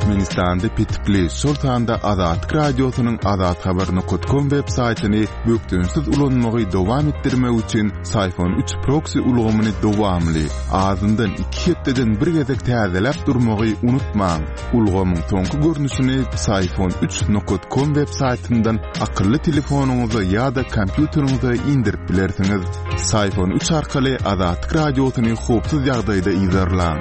Türkmenistanda petikli, şol sanda Azatlyk Radiosynyň azathabar nokat kom web saýtyny bökdençsiz ulanmagy dowam etdirmek üçin Syfon üç proksi ulgamyny dowamly, azyndan iki hepdeden bir gezek täzeläp durmagy unutmaň. Ulgamyň soňky görnüşini Syfon üç nokat kom web saýtyndan akylly telefonyňyza ýa-da kompýuteriňize indirip bilersiňiz. Syfon üç arkaly Azatlyk Radiosyny howpsuz ýagdaýda yzarlaň.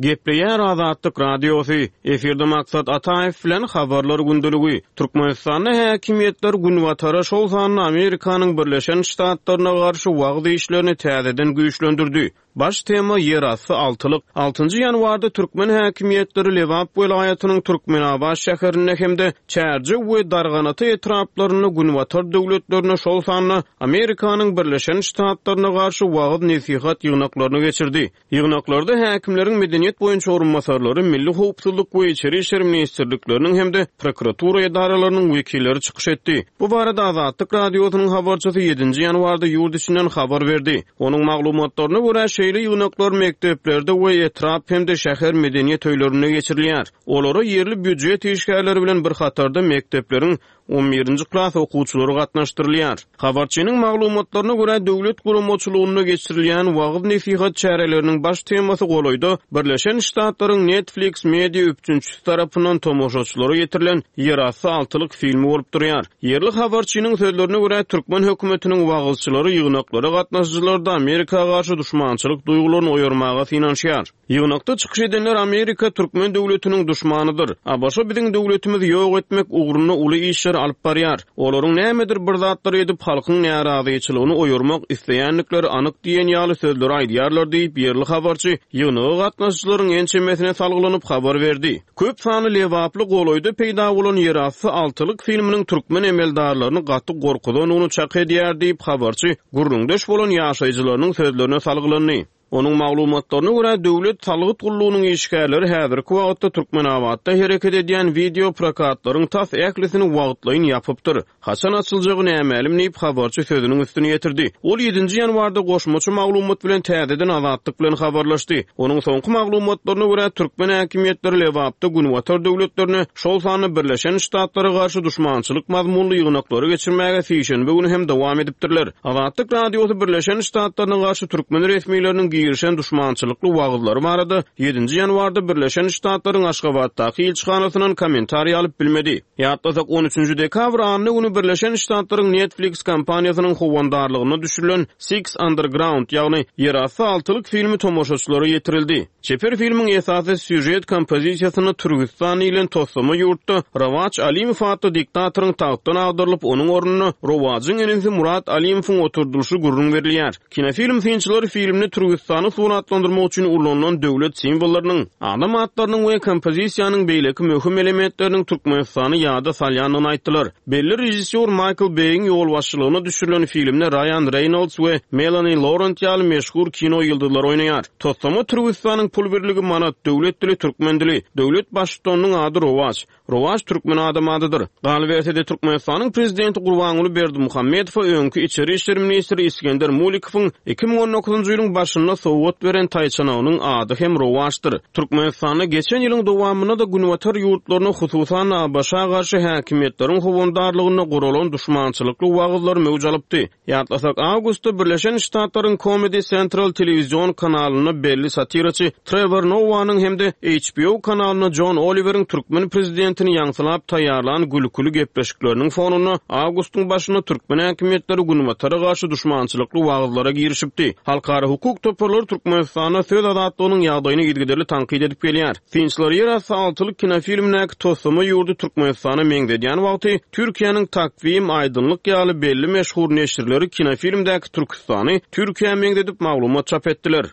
Gepleýär Azatlyk Radiosy, Efirde Maksat Ataýew bilen Habarlar gündeligi. Türkmenistanda häkimiýetler Günbatara, şol sanda Amerikanyň Birleşen Ştatlaryna garşy wagyz işlerini täzeden güýçlendirdi. Baş tema, Ýerasty altylyk. Altynjy ýanwarda türkmen häkimiýetleri Lebap welaýatynyň Türkmenabat şäherinde hem-de Çärjew we Darganata etraplarynda Günbatar döwletlerine, şol sanda Amerikanyň Birleşen Ştatlaryna garşy wagyz-nesihat ýygnaklaryny geçirdi. Ýygnaklarda häkimleriň medeniýet boýunça orunbasarlary, Milli howpsuzlyk we Içeri işler ministrlikleriniň hem-de prokuratura edaralarynyň wekilleri çykyş etdi. Bu barada Azatlyk Radiosynyň habarçysy ýedinji ýanwarda ýurt içinden habar berdi. Onuň maglumatlaryna görä, şeýle ýygnaklar mekdeplerde we etrap hem-de şäher medeniýet öýlerinde geçirilýär. Olara ýerli býujet işgärleri bilen bir hatarda mekdepleriň on birinji klas okuwçylary gatnaşdyrylýar. Habarçynyň maglumatlaryna görä, döwlet guramaçylygynda geçirilýän wagyz-nesihat çäreleriniň baş temasy golaýda Birleşen Ştatlaryň Netflix media üpjünçisi tarapyndan tomaşaçylara ýetirilen Ýerasty altylyk filmi bolup durýar. Ýerli habarçynyň sözlerine görä, türkmen hökümetiniň wagyzçylary ýygnaklara gatnaşyjylarda Amerika garşy duşmançylyk duýgularyny oýarmaga synanyşýar. Ýygnakda çykyş edenler Amerika türkmen döwletiniň duşmanydyr. ABŞ biziň döwletimizi ýok etmek ugrunda uly işleri alyp barýar. Olaryň nämedir bir zatlar edip halkyň närazyçylygyny oýarmak isleýändikleri anyk diýen ýaly sözleri aýdýarlar diýip, ýerli habarçy ýygnaga gatnaşyjylaryň ençemesine salgylanyp habar berdi. Köp sanly lebaply golaýda peýda bolan ýerasty altylyk filminiň türkmen emeldarlaryny gaty gorkuzandygyny çak edýär diýip, habarçy gürrüňdeş bolan ýaşaýjylarynyň sözlerine salgylandy. Onuň maglumatlaryna görä, döwlet salgyt gullugynyň işgärleri häzirki wagtda Türkmenabatda hereket edýän wideo prokatlaryň tas ählisini wagtlaýyn ýapypdyr. Haçan açyljagy nämälim diýip, habarçy sözüniň üstüni ýetirdi. Ol ýedinji ýanwarda goşmaça maglumat bilen täzeden Azatlyk bilen habarlaşdy. Onuň soňky maglumatlaryna görä, türkmen häkimiýetleri Lebapda Günbatar döwletlerine, şol sanda Birleşen Ştatlara garşy duşmançylyk mazmunly ýygnaklary geçirmäge sişenbe güni hem dowam edipdirler. Azatlyk Radiosy Birleşen Ştatlaryna garşy türkmen resmileriniň girişen duşmançylykly wagyzlary barada ýedinji ýanwarda Birleşen Ştatlaryň Aşgabatdaky ilçihanasyndan kommentariý alyp bilmedi. Ýatlasak, on üçünji dekabr anna güni Birleşen Ştatlaryň Netflix kompaniýasynyň howandarlygynda düşürilen Six Underground, ýagny Ýerasty altylyk filmi tomaşaçylara ýetirildi. Çeper filmiň esasy sýužet kompozisiýasynda Türgüstan diýlen toslama ýurtda Rowaç Alimow atly diktatoryň tagtdan agdarylyp, onuň ornuna Rowajyň inisi Murat Alimowyň oturdylyşy gürrüň berilýär. Kinofilm synçylary filmde Türgüstany suratlandyrmak üçin ulanylan döwlet simwollarynyň, adam atlarynyň we kompozisiýanyň beýleki möhüm elementleriniň Türkmenistany ýada salýandygyny aýtdylar. Belli režissýor Maýkl Beýiň ýolbaşçylygynda düşürilen filmde Raýan Reýnolds we Melani Laurent ýaly meşhur kino ýyldyzlary oýnaýar. Toslama Türgüstanyň pul birligi manat, döwlet dili türkmen dili, döwlet baştutanynyň ady Rowaç. Rowaç türkmen adam adydyr. Galyberse-de, Türkmenistanyň prezidenti Gurbanguly Berdimuhamedowa öňki içeri işler ministri Isgender Mulikowyň 2019-njy ýylyň başynda sowgat beren taýçanagynyň ady hem Rowaçdyr. Türkmenistanda geçen ýylyň dowamynda-da günbatar ýurtlaryna, hususan-da ABŞ-a garşy häkimiýetleriň howandarlygynda guralan duşmançylykly wagyzlar möwç alypdy. Ýatlasak, awgustda Birleşen Ştatlaryň Comedy Central telewizion kanalynda belli satiraçy Trewor Nowanyň hem-de HBO kanalynda Jon Oliweriň türkmen prezidentini ýaňsylap taýýarlan gülküli gepleşikleriniň fonunda awgustyň başynda türkmen häkimiýetleri Günbatara garşy duşmançylykly wagyzlara girişipdi. Halkara hukuk toparlary Türkmenistanda söz azatlygynyň ýagdaýyny yzygiderli tankyt edip gelýär. Synçylar ýerasty altylyk kinofilmindäki toslama ýurdy Türkmenistana meňzedýän wagty, Türkiýäniň Takwim, Aýdynlyk ýaly belli meşhur neşirleri kinofilmdäki Türküstany Türkiýä meňzedip maglumat çap etdiler.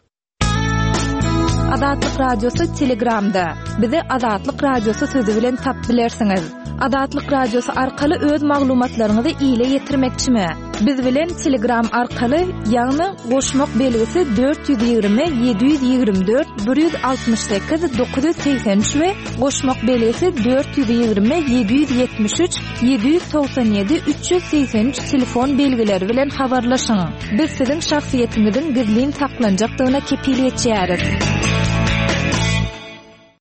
Azatlyk Radiosy Telegramda. Bizi Azatlyk Radiosy sözi bilen tap bilersiňiz. Azatlyk Radiosy arkaly öz maglumatlaryňyzy ile ýetirmekçimi? Biz bilen Telegram arkaly, ýagny goşmak belgisi 420 724 168 983 we goşmak belgisi 420 773 797 383 telefon belgileri bilen habarlaşyň. Biz siziň şahsyýetiňiziň gizlin saklanjakdygyna kepil geçýäris.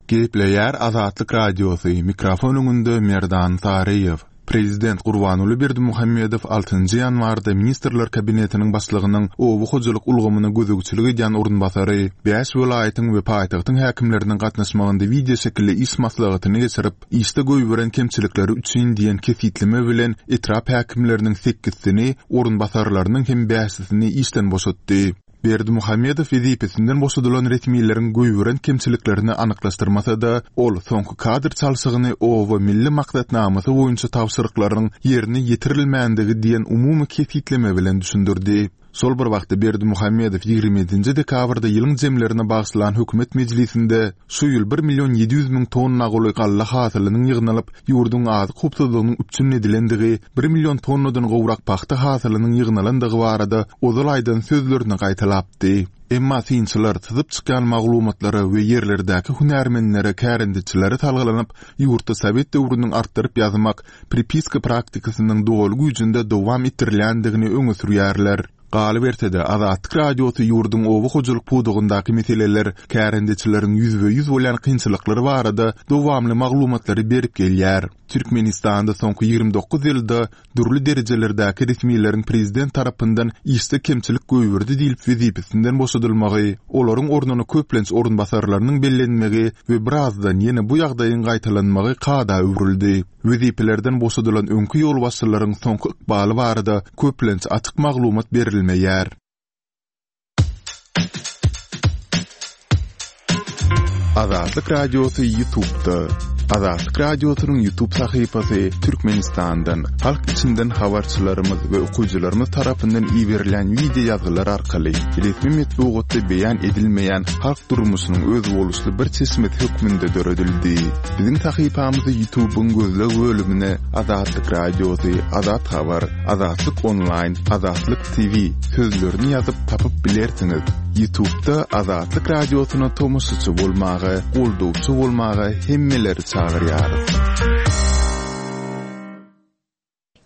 Gepleýär Azatlyk Radiosy, mikrofon öňünde Merdan Saryýew. Prezident Gurbanguly Berdimuhamedow altynjy ýanwarda Ministrler Kabinetiniň Başlygynyň oba hojalyk ulgamyna gözegçilik edýän orunbasary, bäş welaýatyň we paýtagtyň häkimleriniň gatnaşmagynda wideoşekilli iş maslahatyny geçirip, işde goýberen kemçilikleri üçin diýen kesgitleme bilen etrap häkimleriniň sekizsini, orunbasarlarynyň hem bäşisini işden boşatdy. Berdimuhamedow wezipesinden boşadylan resmileriň goýberen kemçiliklerini anyklaşdyrmasa-da, ol soňky kadr çalşygyny Oba milli maksatnamasy boýunça tabşyryklaryň ýerine ýetirilmändigi diýen umumy kesgitleme bilen düşündirdi. Şol bir wagtda Berdimuhamedow 27-nji dekabrda ýylyň jemlerine bagyşlan hökümet mejlisinde şu ýyl bir million 700 müň tonna golaý galla hasylynyň ýygnalyp, ýurduň azyk howpsuzlygynyň üpjün edilendigi, bir million tonnadan gowrak pagta hasylynyň ýygnalandygy barada ozal aýdan sözlerini gaýtalapdy. Emma synçylar syzyp çykýan maglumatlara we ýerlerdäki hünärmenlere, kärendeçilere salgylanyp, ýurtda sowet döwrüniň artdyryp ýazmak, pripiska praktikasynyň doly güýjünde dowam etdirilýändigini öňe sürýärler. Galyberse-de, Azatlyk Radiosy ýurduň oba hojalyk pudagyndaky meseleler, kärendeçileriň ýüzbe-ýüz bolýan kynçylyklary barada dowamly maglumatlary berip gelýär. Türkmenistanda soňky 29 ýylda dürli derejelerdäki resmileriň prezident tarapyndan işde kemçilik goýberdi diýlip wezipesinden boşadylmagy, olaryň ornuna köplenç orunbasarlarynyň bellenmegi we birazdan ýene bu ýagdaýyň gaýtalanmagy kada öwrüldi. Wezipelerden boşadylan öňki ýolbaşçylaryň soňky ykbaly barada köplenç açyk maglumat berilmeýär. Azatlyk Radiosy YouTube'da. Azatlyk Radiosynyň YouTube sahypasy Türkmenistandan, halk içinden habarçylarymyz we okyjylarymyz tarapyndan iberilýän wideo ýazgylar arkaly resmi metbugatda beýan edilmeýän halk durmuşynyň özboluşly bir çeşmesi hökmünde döredildi. Biziň sahypamyzy YouTube'yň gözleg bölümine Azatlyk Radiosy, Azat Habar, Azatlyk Onlaýn, Azatlyk TV sözlerini ýazyp tapyp bilersiňiz. Ýutubda Azatlyk Radiosyna tomaşaçy bolmaga, goldawçy bolmaga hemmeleri çagyrýarys.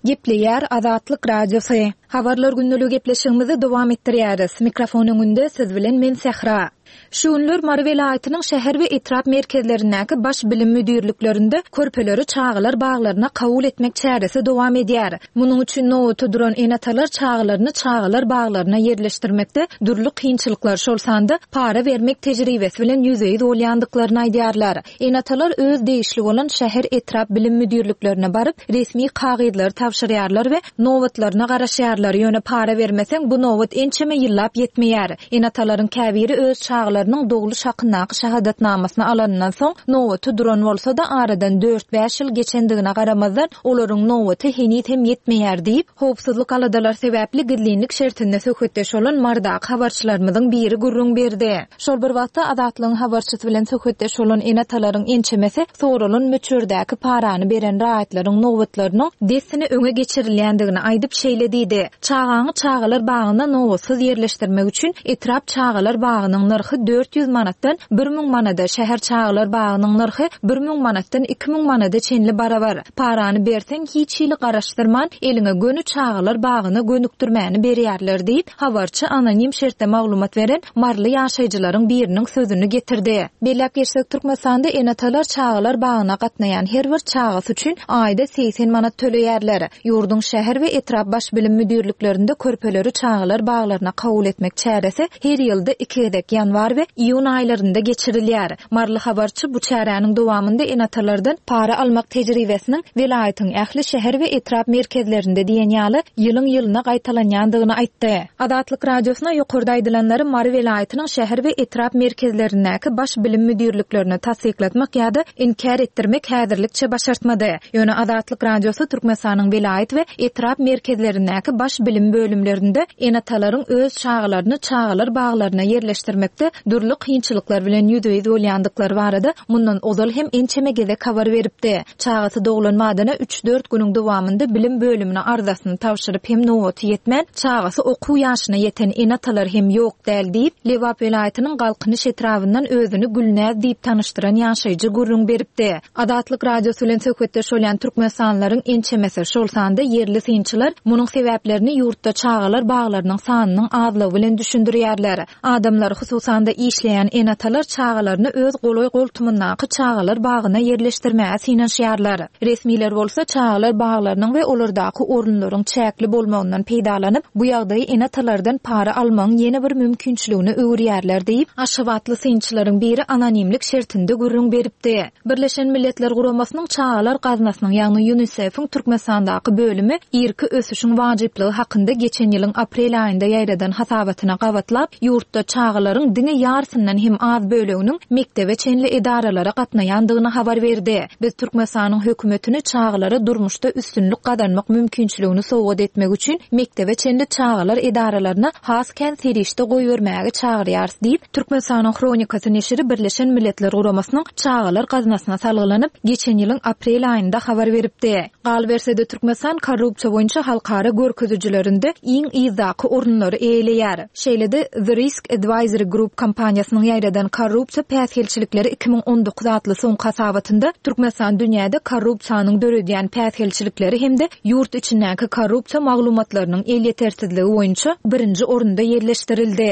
Gepleýär Azatlyk Radiosy. Habarlar gündeligi gepleşigimizi dowam etdirýäris. Mikrofon öňünde siz bilen men Sähra. Şu günler Mary welaýatynyň şäher we etrap merkezlerindäki baş bilim müdirliklerinde körpeleri çagalar baglaryna kabul etmek çäresi dowam edýär. Munuň üçin nobata duran ene-atalar çagalaryny çagalar baglaryna ýerleşdirmekde dürli kynçylyklar, şol sanda para bermek tejribesi bilen ýüzbe-ýüz bolýandyklaryny aýdýarlar. Ene-atalar öz degişli bolan şäher, etrap bilim müdirliklerine baryp, resmi kagyzlary tabşyrýarlar we nobatlaryna garaşýarlar, ýöne para bermeseň, bu nobat ençeme ýyllap ýetmeýär. Ene-atalaryň käbiri öz çagalarynyň dogluş hakyndaky şahadatnamasyny alanyndan soň, nobata duran bolsa-da, aradan dört-bäş ýyl geçendigine garamazdan, olaryň nobaty heniz hem ýetmeýär diýip, howpsuzlyk aladalary sebäpli gizlinlik şertinde söhbetdeş bolan Marydaky habarçylarymyzyň biri gürrüň berdi. Şol bir wagtda, Azatlygyň habarçysy bilen söhbetdeş bolan ene-atalaryň ençemesi soralan möçberdäki parany beren raýatlaryň nobatlarynyň dessine öňe geçirilýändigini aýdyp, şeýle diýdi, Çagaňy çagalar bagyna nobatsyz ýerleşdirmek üçin etrap çagalar bagynyň nyrhy 400 manatdan 1000 manada, şäher çagalar bagynyň nyrhy 1000 manatdan 2000 manada çenli barabar. Parany berseň, hiç hili garaşdyrman, eliňe göni çagalar bagyna gönükdirmäni berýärler diýip, habarçy anonim şertde maglumat beren maryly ýaşaýjylaryň biriniň sözüni getirdi. Belläp geçsek, Türkmenistanda ene-atalar çagalar bagyna gatnaýan her bir çagasy üçin aýda 80 manat töleýärler. Ýurduň şäher we etrap baş bilim müdirliklerinde körpeleri çagalar baglaryna kabul etmek çäresi her ýylda iki gezek, ýanwar we iýun aýlarynda geçirilýär. Maryly habarçy bu çäräniň dowamynda ene-atalardan para almak tejribesiniň welaýatyň ähli şäher we etrap merkezlerinde diýen ýaly ýylyň-ýylyna gaýtalanýandygyny aýtdy. Azatlyk Radiosyna ýokarda aýdylanlary Mary welaýatynyň şäher we etrap merkezlerindäki baş bilim müdirliklerine tassyklatmak ýa-da inkär etdirmek häzirlikçe başartmady. Ýöne Azatlyk Radiosy Türkmenistanyň welaýat we etrap merkezlerindäki baş bilim bölümlerinde ene-atalaryň öz çagalaryny çagalar baglaryna ýerleşdirmekde dürli kynçylyklar bilen ýüzbe-ýüz bolýandyklary barada mundan ozal hem ençeme gezek habar beripdi. Çagasy doglan badyna üç-dört günüň dowamynda bilim bölümine arzasyny tabşyryp hem nobaty ýetmän, çagasy okuw ýaşyna ýeten ene-atalar hem ýok däl diýip, Lebap welaýatynyň Galkynyş etrabyndan özüni Gülnäz diýip tanyşdyran ýaşaýjy gürrüň beripdi. Azatlyk Radiosy bilen söhbetdeş bolýan türkmenistanlylaryň ençemesi, şol sanda ýerli synçylar munuň sebäplerini ýurtda çagalar baglarynyň sanynyň azlygy bilen düşündirýärler. Adamlar, hususan-da. Türkmenistanda işleýän ene-atalar çagalaryny öz golaý-goltumyndaky çagalar bagyna ýerleşdirmäge synanyşýarlar. Resmiler bolsa çagalar baglarynyň we olardaky orunlaryň çäkli bolmagyndan peýdalanyp, bu ýagdaýy ene-atalardan para almagyň ýene bir mümkinçiligine öwürýärler diýip, aşgabatly synçylaryň biri anonimlik şertinde gürrüň beripdi. Birleşen Milletler Guramasynyň Çagalar gaznasynyň, ýagny Ýunisef-iň Türkmenistandaky bölümi irki ösüşiň wajyplygy hakynda geçen ýylyň aprel aýynda ýaýradan hasabatyna gabatlap, ýurtda çagalaryň diňe ýarysyndan hem az böleginiň mekdebe çenli edaralara gatnaýandygyny habar berdi. Biz Türkmenistanyň hökümetini çagalara durmuşda üstünlik gazanmak mümkinçiligini sowgat etmek üçin mekdebe çenli çagalar edaralaryna has kän serişde goýbermäge çagyrýarys diýip, Türkmenistanyň Hronikasy neşiri Birleşen Milletler Guramasynyň Çagalar gaznasyna salgylanyp, geçen ýylyň aprel aýynda habar beripdi. Galyberse-de, Türkmenistan korrupsiýa boýunça halkara görkezijilerinde iň yzdaky orunlary eýeleýär. Şeýle-de, The Risk Advisory Group kompaniýasynyň ýaýradan Korrupsiýa päsgelçilikleri 2019 atly soňky hasabatynda Türkmenistan dünýäde korrupsiýanyň döredýän päsgelçilikleri hem-de ýurt içindäki korrupsiýa maglumatlarynyň elýetersizligi boýunça birinji orunda ýerleşdirildi.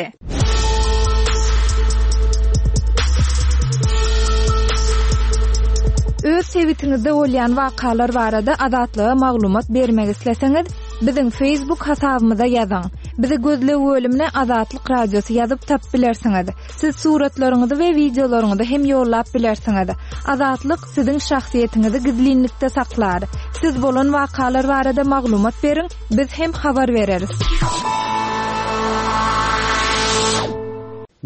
Öz sebitiňizde bolýan wakalar barada Azatlyga maglumat bermek isleseňiz, biziň Facebook hasabymyza ýazyň. Bizi gözleg bölümine Azatlyk Radiosy ýazyp tapyp bilersiňiz. Siz suratlaryňyzy we wideolaryňyzy hem ýollap bilersiňiz. Azatlyk siziň şahsyýetiňizi gizlinlikde saklar. Siz bolan wakalar barada maglumat beriň, biz hem habar bereris.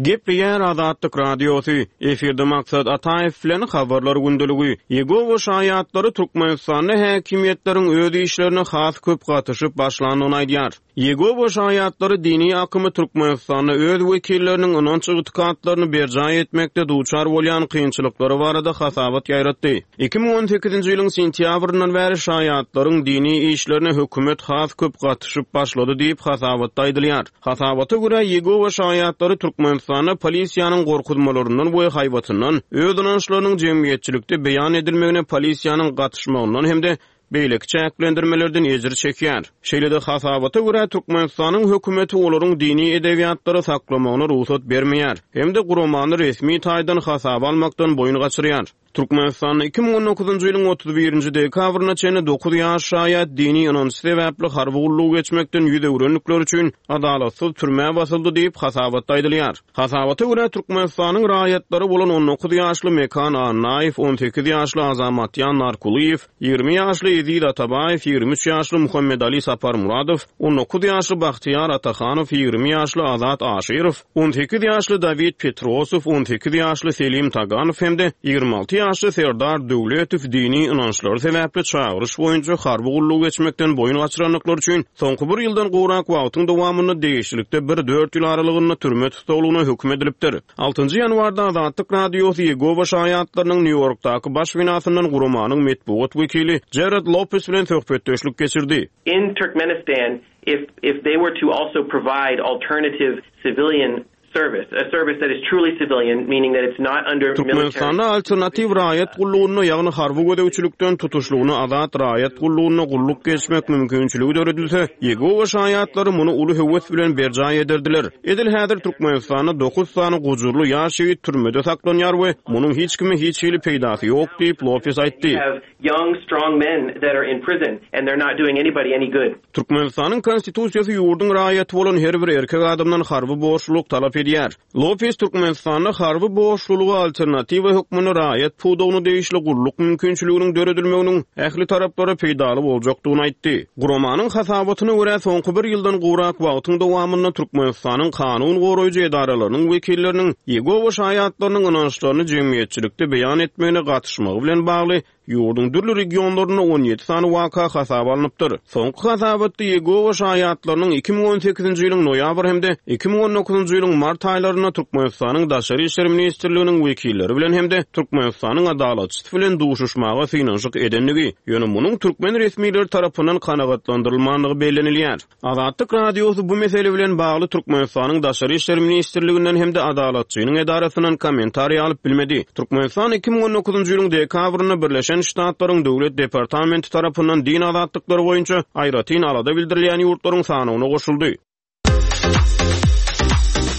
Gepleýär Azatlyk Radiosy, Efirde Maksat Ataýew bilen Habarlar gündeligi. Ýegowa şaýatlary Türkmenistanda häkimiýetleriň öz işlerine has köp gatyşyp başlandygyny aýdýar. Ýegowa şaýatlary dini akymy Türkmenistanda öz wekilleriniň ynanç-ygtykatlaryny berjaý etmekde duçar bolýan kynçylyklary barada hasabat ýaýratdy. 2018-nji ýylyň sentýabryndan bäri şaýatlaryň dini işlerine hökümet has köp gatyşyp başlady diýip, hasabatda aýdylýar. Hasabata görä, Ýegowa şaýatlary Türkmenistanda polisiýanyň gorkuzmalaryndan we haýbatyndan, öz ynançlarynyň jemgyýetçilikde beýan edilmegine polisiýanyň gatyşmagyndan hem-de beýleki çäklendirmelerden ejir çekýär. Şeýle-de, hasabata görä, Türkmenistanyň hökümeti olaryň dini edebiýatlary saklamagyna rugsat bermeýär hem-de guramany resmi taýdan hasaba almakdan boýun gaçyrýar. Türkmenistanda 2019-njy ýylyň 31-nji dekabryna çenli dokuz ýaş şaýat dini ynanç sebäpli harby gullugy geçmekden ýüz öwrendikleri üçin adalatsyz türmä basyldy diýip, hasabatda aýdylýar. Hasabata görä, Türkmenistanyň raýatlary bolan 19 ýaşly Mekan Annaýew, 18 ýaşly Azamatýan Narkulyýew, 20 ýaşly Eziz Atabaýew, 23 ýaşly Muhammedali Saparmuradow, 19 ýaşly Bahtyýar Atahanow, 20 ýaşly Azat Aşyrow, 18 ýaşly Dawid Petrosow, 18 ýaşly Selim Taganow hem-de 26 ýaşly Serdar Döwletow dini ynançlary sebäpli çagyryş boýunça harby gullugy geçmekden boýun gaçyrandyklary üçin soňky bir ýyldan gowrak wagtyň dowamynda degişlilikde bir-dört ýyl aralygynda türme tussaglygyna höküm edilipdir. Altynjy ýanwarda Azatlyk Radiosy Ýegowa şaýatlarynyň Nýu-Ýorkdaky baş binasyndan guramanyň metbugat wekili Jared Lopes bilen söhbetdeşlik geçirdi. In Turkmenistan if if they were to also provide alternative civilian service, a service that is truly civilian, meaning that it's not under military Türkmenistanda alternatiw raýat gullugynda, ýagny harby gözegçilikden tutuşlygyna azat raýat gullugynda gulluk geçmek mümkinçiligi döredilse, Ýegowa şaýatlary muny uly höwes bilen berjaý ederdiler. Edil häzir Türkmenistanda dokuz sany gujurly ýaş ýigit türmede saklanýar we munuň hiç kime hiç hili peýdasy ýok diýip, Lopes aýtdy. Young, strong men that are in prison and they're not doing anybody any good. Türkmenistanyň Konstitusiýasy ýurduň raýaty bolan her bir erkek adamdan harby borçlulyk talap edýär. Lopes Türkmenistanda harby borçlulyga alternatiwa hökmünde raýat pudagyna degişli gulluk mümkinçiliginiň döredilmeginiň ähli taraplara peýdaly boljakdygyny aýtdy. Guramanyň hasabatyna görä, soňky bir ýyldan gowrak wagtyň dowamynda Türkmenistanyň kanun goraýjy edaralarynyň wekilleriniň Ýegowa şaýatlarynyň ynançlaryny jemgyýetçilikde beýan etmegine gatyşmagy bilen bagly ýurduň dürli regionlarynda 17 sany waka hasaba alnypdyr. Soňky hasabatda Ýegowa şaýatlarynyň 2018-nji ýylyň noýabr hem-de 2019-njy ýylyň mart aýlarynda Türkmenistanyň Daşary işler ministrliginiň wekilleri bilen hem-de Türkmenistanyň Adalatçysy bilen duşuşmaga synanyşyk edendigi, ýöne munuň türkmen resmileri tarapyndan kanagatlandyrylmandygy bellenilýär. Azatlyk Radiosy bu mesele bilen bagly Türkmenistanyň Daşary işler ministrliginden hem-de Adalatçynyň edarasyndan kommentariý alyp bilmedi. Türkmenistan 2019-njy ýylyň dekabrynda Birleşen Ştatlaryň Döwlet departamenti tarapyndan din azatlyklary boýunça aýratyn alada bildirilýän ýurtlaryň sanawyna goşuldy.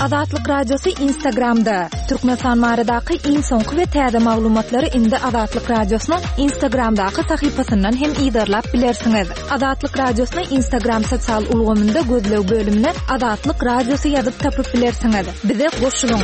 Azatlyk Radiosy Instagramda! Türkmenistan baradaky iň soňky we täze maglumatlary indi Azatlyk Radiosynyň Instagramdaky sahypasyndan hem yzarlap bilersiňiz. Azatlyk Radiosyny Instagram sosial ulgamynda gözleg bölümine Azatlyk Radiosy ýazyp tapyp bilersiňiz. Bize goşulyň!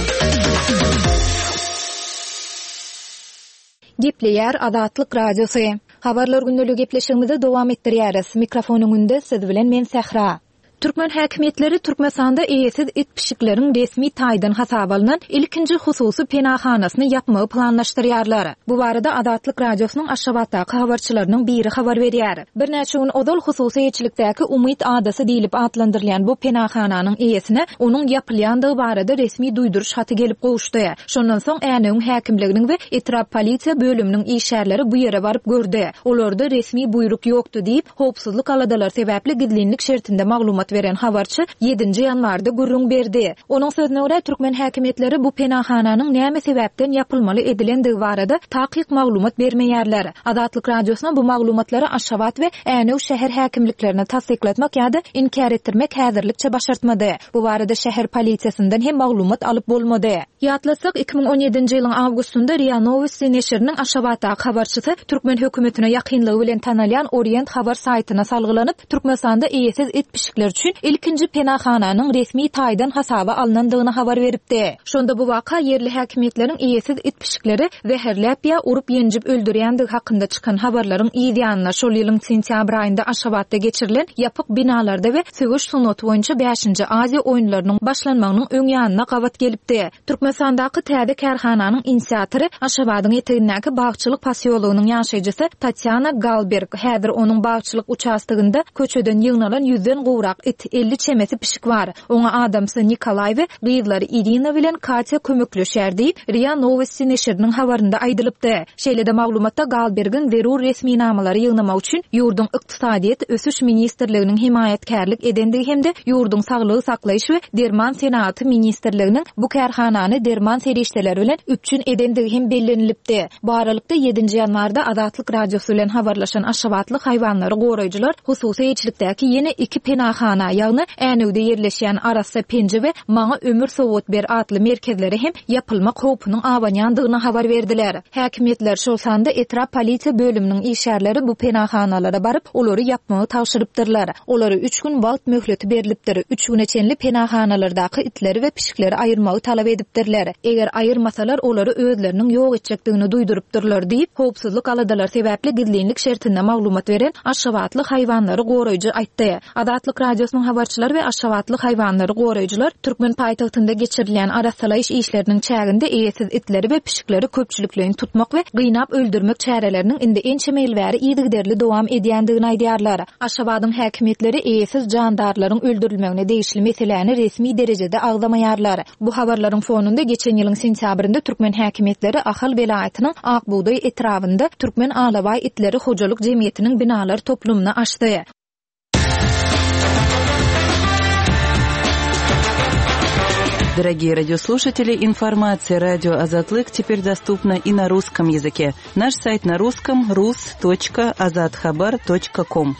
Gepleýär Azatlyk Radiosy. Habarlar gündeligi gepleşigimizi dowam etdirýäris. Mikrofon öňünde siz bilen men Sähra. Türkmen häkimiýetleri Türkmenistanda eýesiz it-pişikleriň resmi taýdan hasaba alnan ilkinji hususy penahanasyny ýapmagy planlaşdyrýarlar. Bu barada Azatlyk Radiosynyň Aşgabatdaky habarçylarynyň biri habar berýär. Birnäçe gün ozal hususy eýeçilikdäki Umyt adasy diýlip atlandyrylýan bu penahananyň eýesine onuň ýapylýandygy barada resmi duýduryş haty gelip gowuşdy. Şondan soň Änewiň häkimliginiň we etrap polisiýa bölüminiň işgärleri bu ýere baryp gördi. Olarda resmi buýruk ýokdy diýip, howpsuzlyk aladalary sebäpli gizlinlik şertinde maglumat beren habarçy ýedinji ýanwarda gürrüň berdi. Onuň sözüne görä, türkmen häkimiýetleri bu penahananyň näme sebäpden ýapylmaly edilendigi barada takyk maglumat bermeýärler. Azatlyk Radiosyna bu maglumatlary Aşgabat we Änew şäher häkimliklerine tassyklatmak ýa-da inkär etdirmek häzirlikçe başartmady. Bu barada şäher polisiýasyndan hem maglumat alyp bolmady. Ýatlatsak, 2017-nji ýylyň awgustynda RIA Nowosti neşiriniň Aşgabatdaky habarçysy türkmen hökümetine ýakynlygy bilen tanalýan Orient habar saýtyna salgylanyp, Türkmenistanda eýesiz it-pişikler üçin ilkinji penahananyň resmi taýdan hasaba alnandygyny habar beripdi. Şonda bu waka ýerli häkimiýetleriň eýesiz it-pişikleri zäherläp ýa urup-ýenjip öldürýändigi hakynda çykan habarlaryň yz ýanyna şol ýylyň sentýabr aýynda Aşgabatda geçirilen ýapyk binalarda we söweş sungaty boýunça bäşinji Aziýa oýunlarynyň başlanmagynyň öň ýanyna gabat gelipdi. Türkmenistandaky täze kärhananyň inisiatory Aşgabadyň etegindäki Bagçylyk posýologynyň ýaşaýjysy Tatýana Galberg. Häzir onuň bagçylyk uçastogynda köçeden ýygnalan ýüzden gowrak it, 50 çemesi pişik bar. Oňa adamsy Nikolaý we gyzlary Irina bilen Katýa kömekleşýär diýip, RIA Nowosti neşiriniň habarynda aýdylypdy. Şeýle-de maglumatda Galbergiň zerur resminamalary ýygnamak üçin ýurduň Ykdysadyýet ösüş ministrliginiň hemaýatkärlik edendigi hem-de ýurduň Saglygy saklaýyş we derman senagaty ministrliginiň bu kärhanany derman serişdeleri bilen üpjün edendigi hem bellenilipdi. Bu aralykda, ýedinji ýanwarda Azatlyk Radiosy bilen habarlaşan aşgabatly haýwanlary goraýjylar hususy eýeçilikdäki ýene iki penahana, ýagny Änewde ýerleşýän Arassa penje we Maňa ömür sowgat ber atly merkezlere hem ýapylmak howpunyň abanýandygyny habar berdiler. Häkimiýetler, şol sanda etrap polisiýa bölüminiň işgärleri bu penahanalara baryp, olary ýapmagy tabşyrypdyrlar. Olara üç gün wagt möhleti berlipdir. Üç güne çenli penahanalardaky itleri we pişikleri aýyrmagy talap edipdirler. Eger aýyrmasalar, olary özleriniň ýok etjekdigini duýdurypdyrlar diýip, howpsuzlyk aladalary sebäpli gizlinlik şertinde maglumat beren aşgabatly haýwanlary goraýjy aýtdy. Azatlyk Radiosynyň habarçylary we aşgabatly haýwanlary goraýjylar türkmen paýtagtynda geçirilýän arassalaýyş işleriniň çäginde eýesiz itleri we pişikleri köpçülikleýin tutmak we gynap öldürmek çäreleriniň indi ençeme ýyl bäri yzygiderli dowam edýändigini aýdýarlar. Aşgabadyň häkimiýetleri eýesiz jandarlaryň öldürilmegine degişli meseläni resmi derejede agzamaýarlar. Bu habarlaryň fonunda geçen ýylyň sentýabrynda türkmen häkimiýetleri Ahal welaýatynyň Ak bugdaý etrabynda Türkmen alabaý itleri hojalyk jemgyýetiniň binalar toplumyny açdy. Дорогие радиослушатели, информация радио Азатлык теперь доступна и на русском языке. Наш сайт на русском rus.azathabar.com.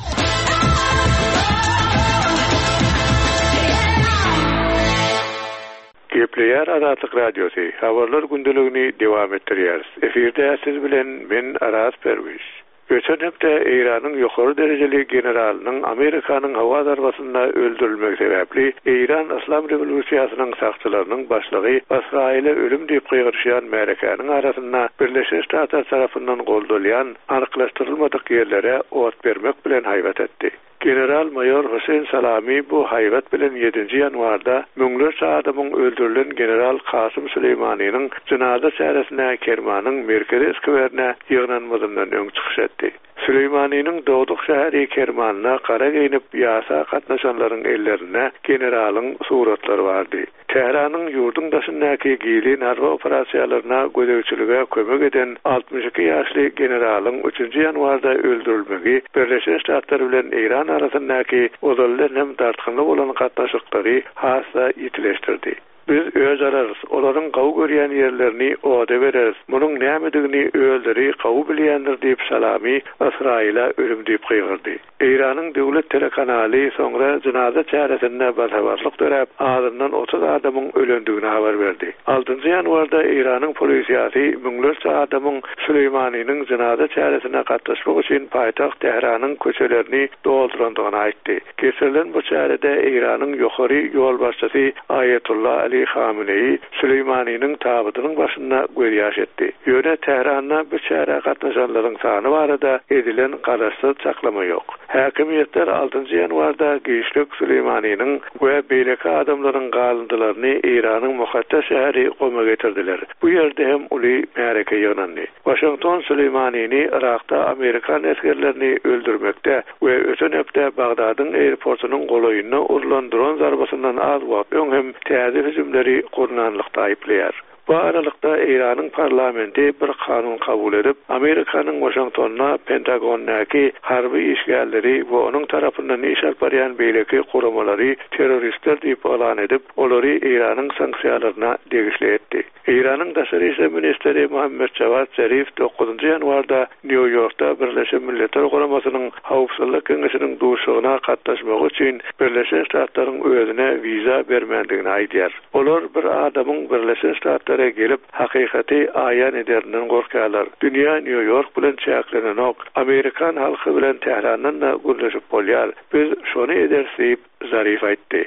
Gepleýär Azatlyk Radiosy, Habarlar gündeligini dowam etdirýäris. Efirde siz bilen men Araz Perwiş. Öten hepde Eýranyň ýokary derejeli generalynyň Amerikanyň howa zarbasynda öldürilmegi sebäpli Eýran Yslam rewolýusiýasynyň sakçylarynyň başlygy Ysraýyla ölüm diýip gygyryşýan märekäniň arasynda Birleşen Ştatlar tarapyndan goldalýan anyklaşdyrylmadyk ýerlere ot bermek bilen haýbat etdi. General-maýor Hüseýin Salami bu haýbat bilen ýedinji ýanwarda müňlerçe adamyň öldürilen general Kasym Süleýmanynyň jynaza çäresine Kermanyň merkezi skwerine ýygnanmazyndan öň çykyş etdi. Süleýmanynyň dogduk şäheri Kermanda gara geýnip ýasa gatnaşanlaryň ellerinde generalyň suratlary bardy. Tähranyň ýurduň daşyndaky gizlin harby operasiýalaryna gözegçilige kömek eden 62 ýaşly generalyň üçünji ýanwarda öldürilmegi Birleşen Ştatlar bilen Eýran arasyndaky ozaldan hem dartgynly bolan gatnaşyklary has-da ýitileşdirdi. Biz öz. alarys, olaryň gowy görýän ýerlerini oda bereris, munuň nämedigini özleri gowy bilýändir diýip Salami Ysraýyla ölüm diýip gygyrdy. Eýranyň döwlet telekanaly soňra jynaza çäresinde basabarlyk döräp, azyndan 30 adamyň ölendigini habar berdi. Altynjy ýanwarda Eýranyň polisiýasy müňlerçe adamyň Süleýmanynyň jynaza çäresine gatnaşmak üçin paýtagt Tähranyň köçelerini doldurandygyny aýtdy. Geçirilen bu çärede Eýranyň ýokary ýolbaşçysy Aýetullah Ali Hameneýi Süleýmanynyň tabydynyň başynda gözýaş etdi. Ýöne Tähranda bu çärä gatnaşanlaryň sany barada edilen garaşsyz çaklama ýok. Häkimiýetler altynjy ýanwarda giçlik Süleýmanynyň we beýleki adamlaryň galyndylaryny Eýranyň mukaddes şäheri Goma getirdiler. Bu ýerde hem uly märeke ýygnandy. Waşington Süleýmanyny Yrakda amerikan esgerlerini öldürmekde we öten hepde Bagdadyň aeroportunyň golaýynda urlan dron zarbasyndan az wagt öň hem täze hüjümleri gurnanlykda aýyplaýar. Bu aralykda Eýranyň parlamenti bir kanun kabul edip, Amerikanyň Waşingtonda Pentagondaky harby işgärleri we onuň tarapyndan iş alyp barýan beýleki guramalary terroristler diýip yglan edip, olary Eýranyň sanksiýalaryna degişli etdi. Eýranyň daşary işler ministri Muhammed Jawad Zarif dokuzynjy ýanwarda Nýu-Ýorkda Birleşen Milletler Guramasynyň Howpsuzlyk Geňeşiniň duşuşygyna gatnaşmagy üçin Birleşen Ştatlaryň özüne wiza bermändigini aýdýar. Olar bir adamyň Birleşen Ştatlara gelip, hakykaty aýan ederinden gorkýarlar. Dünýä Nýu-Ýork bilen çäklenenok, amerikan halky bilen Tährandan-da gürleşip bolýar. Biz şony ederis diýip, Zarif aýtdy.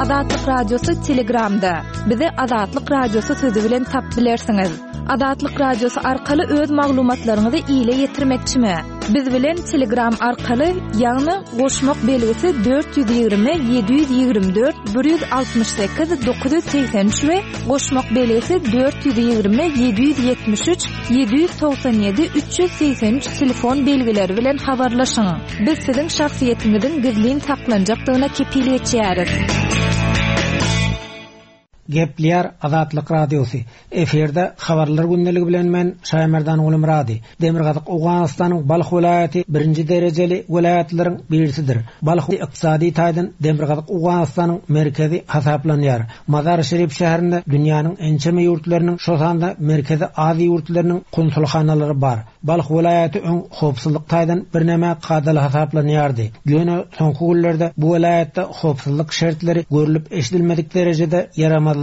Azatlyk Radiosy Telegramda. Bizi Azatlyk Radiosy sözi bilen tap bilersiňiz. Azatlyk Radiosy arkaly öz maglumatlaryňyzy ile ýetirmekçimi? Biz bilen Telegram arkaly, ýagny goşmak belgisi 420 724 168 983 we goşmak belgisi 420 773 797 383 telefon belgileri bilen habarlaşyň. Biz siziň şahsyýetiňiziň gizlin saklanjakdygyna kepil geçýäris. Gepleýär Azatlyk Radiosy. Efirde Habarlar gündeligi bilen men Şaýmerdan Gulumyrady. Demirgazyk Owganystanyň Balh welaýaty birinji derejeli welaýatlaryň birisidir. Balh ykdysady taýdan Demirgazyk Owganystanyň merkezi hasaplanýar. Mazar-i-Şerif şäherinde dünýäniň ençeme ýurtlarynyň, şo sanda Merkezi Aziýa ýurtlarynyň konsulhanalary bar. Balh welaýaty öň howpsuzlyk taýdan birneme kadaly hasaplanýardy. Ýöne soňky günlerde bu welaýatda howpsuzlyk şertleri görlüp-eşidilmedik derejede ýaramazlaşdy.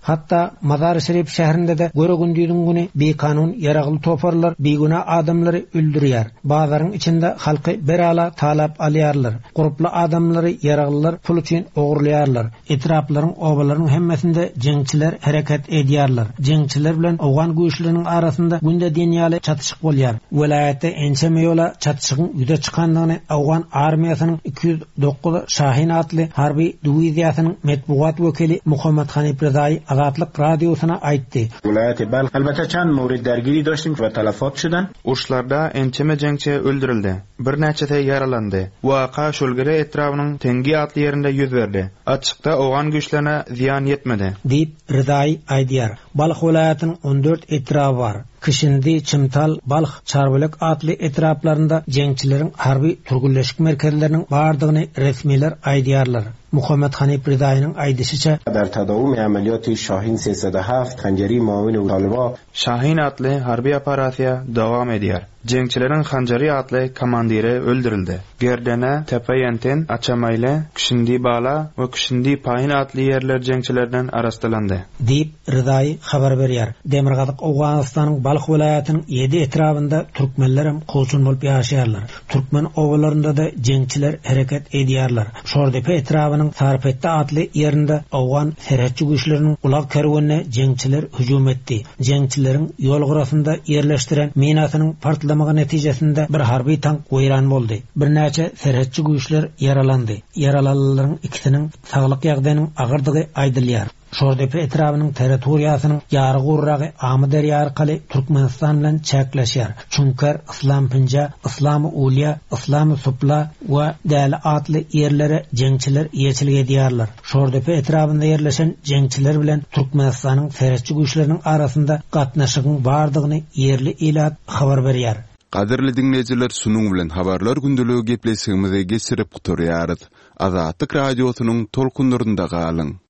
Hatda Mazar-i-Şerif şäherinde-de göre-gündiziň güni bikanun ýaragly toparlar bigünä adamlary öldürýär. Bazaryň içinde halky bir-ala talap alýarlar. Gurply adamlary ýaraglylar pul üçin ogurlaýarlar. Etraplaryň, obalaryň hemmesinde jeňçiler hereket edýärler. Jeňçiler bilen owgan güýçleriniň arasynda günde diýen ýaly çatyşyk bolýar. Welaýatda ençeme ýola çatyşygyň ýüze çykandygyny owgan armiýasynyň 209 Şahin atly harby diwiziýasynyň metbugat wekili Muhammet Hanif Rezaýy Azatlyk Radiosyna aýtdy. Welaýaty Balh elbetde çand mowrid dergiri doştim we talafot şudan. Uruşlarda ençeme jeňçi öldürildi. Birnäçesi ýaralandy. Waka Şulgere etrabynyň Tengi atly ýerinde ýüz berdi. Atşykda owgan güýçlerine zyýan ýetmedi. Diýip, Rezaýy aýdýar. Balh welaýatynyň 14 etraby bar. Kişindi, Çimtal, Balh, Çarbölek atly etraplarynda jeňçileriň harby türgenleşik merkezleriniň bardygyny resmiler aýdýarlar. Muhammet Hanif Rezaýynyň aýdyşyça, Dar tadawum amaliyati Şahin 307 Hanjari muawin Taliba Şahin atly harby operasiýa dowam edýär. Jeňçileriň Hanjari atly komandiri öldürildi. Gerdene, Tepe Ýenten, Açamaýle, Küşündi Bala we Küşündi Paýyn atly ýerler jeňçilerden arassalandy. Diýip, Rezaýy habar berýär. Demirgazyk Owganystanyň Balh welaýatynyň ýedi etrabynda türkmenlerem kowçum bolup ýaşaýarlar. Türkmen obalarynda-da jeňçiler hereket edýärler. Şordepe etrabynyň Sarpetde atly ýerinde owgan serhetçi güýçleriniň ulag kerwenine jeňçiler hüjüm etdi. Jeňçileriň ýol gyrasynda ýerleşdiren minasynyň partlamagy netijesinde bir harby tank weýran boldy. Birnäçe serhetçi güýçler ýaralandy. Ýaralanlaryň ikisiniň saglyk ýagdaýynyň agyrdygy aýdylýar. Şordepe etrabynyň territoriýasynyň ýary gurragy Amyderýa arkaly Türkmenistan bilen çäkleşýär. Çuňker, Yslampinja, Yslamy Ulýa, Yslamy Supla we Däli atly ýerlere jeňçiler eýeçilik edýärler. Şordepe etrabynda ýerleşen jeňçiler bilen Türkmenistanyň serhetçi güýçleriniň arasynda gatnaşygyň bardygyny ýerli ilat habar berýär. Gadyrly diňleýjiler şunuň bilen Habarlar gündeligi gepleşigimizi geçirip gutarýarys. Azatlyk Radiosynyň tolkunlarynda galyň!